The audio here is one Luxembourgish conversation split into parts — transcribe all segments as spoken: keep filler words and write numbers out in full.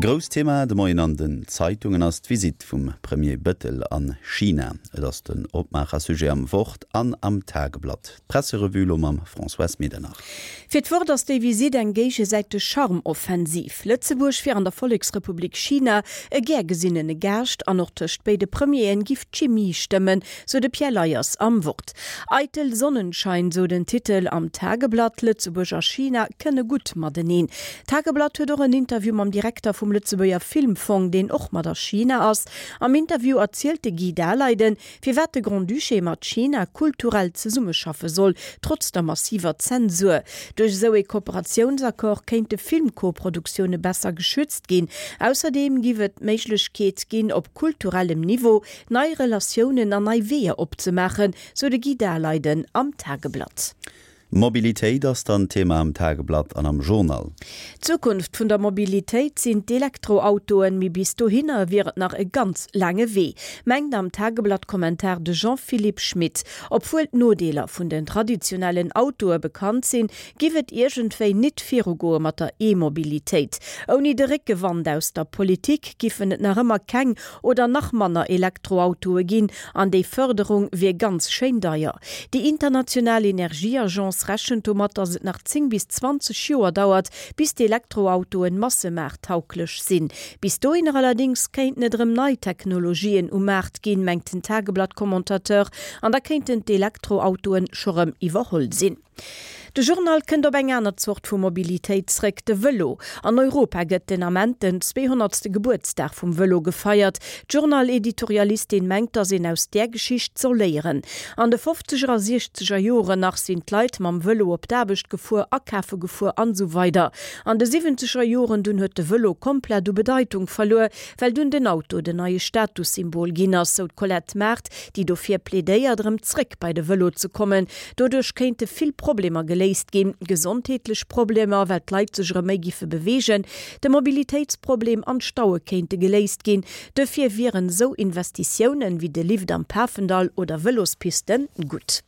Grousst Thema de Moien an den Zeitungen ass d'Visitt vum Premier Bëttel an China. Et ass den Opmaachersujet am Wort an am Tageblatt. D'Presserevue elo mam Françoise Medernach. Fir d'Wort ass déi Visitt eng géigesäiteg Charmoffensiv. Lëtzebuerg wier an der Volleksrepublik China e gär gesinnene Gaascht an och tëscht béide Premieren giff d'Chimie stëmmen, sou de Pierre Leyers am Wort. Eitel Sonnenschein, sou den Titel am Tageblatt, Lëtzebuerg a China kënne gutt mateneen. D'Tageblatt huet och en Interview mam Direkter vum Lëtzebuerger Filmfong, deen och mat a China ass. Am Interview erzielt de Guy Daleiden, firwat de Grand-Duché mat China kulturell zesummeschaffe soll, trotz der massiver Zensur. Duerch esou ee Kooperatiounsaccord kéinte Filmkoproduktioune besser geschützt ginn. Ausserdeem giff et d'Méiglechkeet ginn, op kulturellem Niveau nei Relatiounen an nei Weeër opzemaachen, sou de Guy Daleiden am Tageblatt. Mobilitéit ass dann Thema am Tageblatt an am Journal. D'Zukunft vun der Mobilitéit sinn d'Elektroautoen, mee bis dohinner wier et nach e ganz laange Wee, mengt am Tageblatt-Kommentar de Jean-Philippe Schmit. Obwuel d'Nodeeler vun den traditionellen Autoe bekannt sinn, giff et iergendwéi nit virugoe mat der E-Mobilitéit. Ouni de Réckewand aus der Politik giffen et nach ëmmer keng oder nach manner Elektroautoe ginn an déi Fërderung wier ganz schéin deier. Déi international Energieagence rechent domat, datt et nach zéng bis zwanzeg Joer dauert, bis d'Elektroautoen massemaarttauglech sinn. Bis dohinner allerdéngs kéinten et erëm nei Technologien um Maart ginn, mengt den Tageblatt-Commentateur, an da kéinten d'Elektroautoen scho rëm iwwerholl sinn. De Journal kënnt op eng aner Zort vu Mobilitéit zréck, de Vëlo. An Europa gëtt den Ament den zweehonnertste Gebuertsdag vum Vëlo gefeiert. D'Journal-Editorialistin mengt, datt een aus där Geschicht soll léieren. An de fofzeger a siechzeger Joren nach sinn d'Leit mam Vëlo op d'Aarbecht gefuer, akafe gefuer an esou weider. An de siwwenzeger Joren dunn huet de Vëlo komplett u Bedeitung verluer, well dunn den Auto den neie Statussymbol ginn ass, sou d'Colette Mart, déi dofir plädéiert, erëm zréck bei de Vëlo ze kommen. Doduerch kéinte vill Problemer geléist ginn, gesondheetlech Problemer, well d'Leit sech erëm méi giffe beweegen, de Mobilitéitsproblem an d'Staue kéinte geléist ginn. Dofir wieren esou Investitiounen wéi de Lift am Pafendall oder Vëlospisten gutt.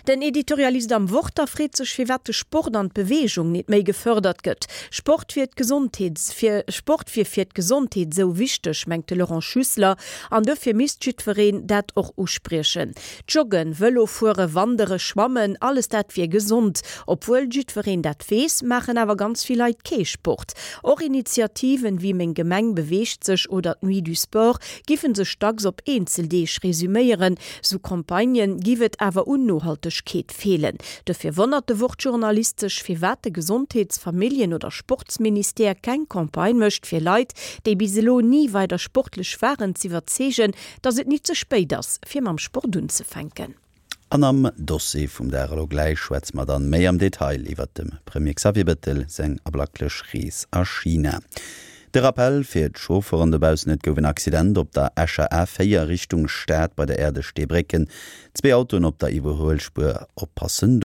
Den Editorialist am Wort da freet sech, firwat de Sport an d'Beweegung nit méi gefërdert gëtt. Sport wier d'Gesondheets fir Sport wier fir d'Gesondheet esou wichteg, mengt de Laurent Schüssler, an dofir misst jiddwereen dat och uspriechen. Joggen, Vëlo fuere, wandere, schwammen, alles dat wier gesond. Obwuel jiddwereen dat weess, maachen awer ganz vill Leit kee Sport. Och Initiativen wéi Meng Gemeng beweegt sech oder d'Nuit du Sport giffen sech dacks op eenzel Deeg resuméieren. Sou Campagnen giff et awer un Nohaltegkeet feelen. Dofir wonnert de Wort-Journalist sech, firwat de Gesondheets-, Familljen oder Sportsministère keng Campagne mécht, fir Leit, déi bis elo ni weider sportlech waren, z'iwwerzeegen, datt et nit ze spéit ass, fir mam Sport unzefänken. An am Dossier vum Dag elo gläich schwätze mer dann méi am Detail iwwert dem Premier Xavier Bettel seng ablacklech Rees a China. De Rappell fir d'Chaufferen dobaussen, Et gouf en Accident op der Escher A véier Richtung Stad bei der Äerdeg Steebrécken. Zwee Autoen op der Iwwerhuelspuer, oppassen.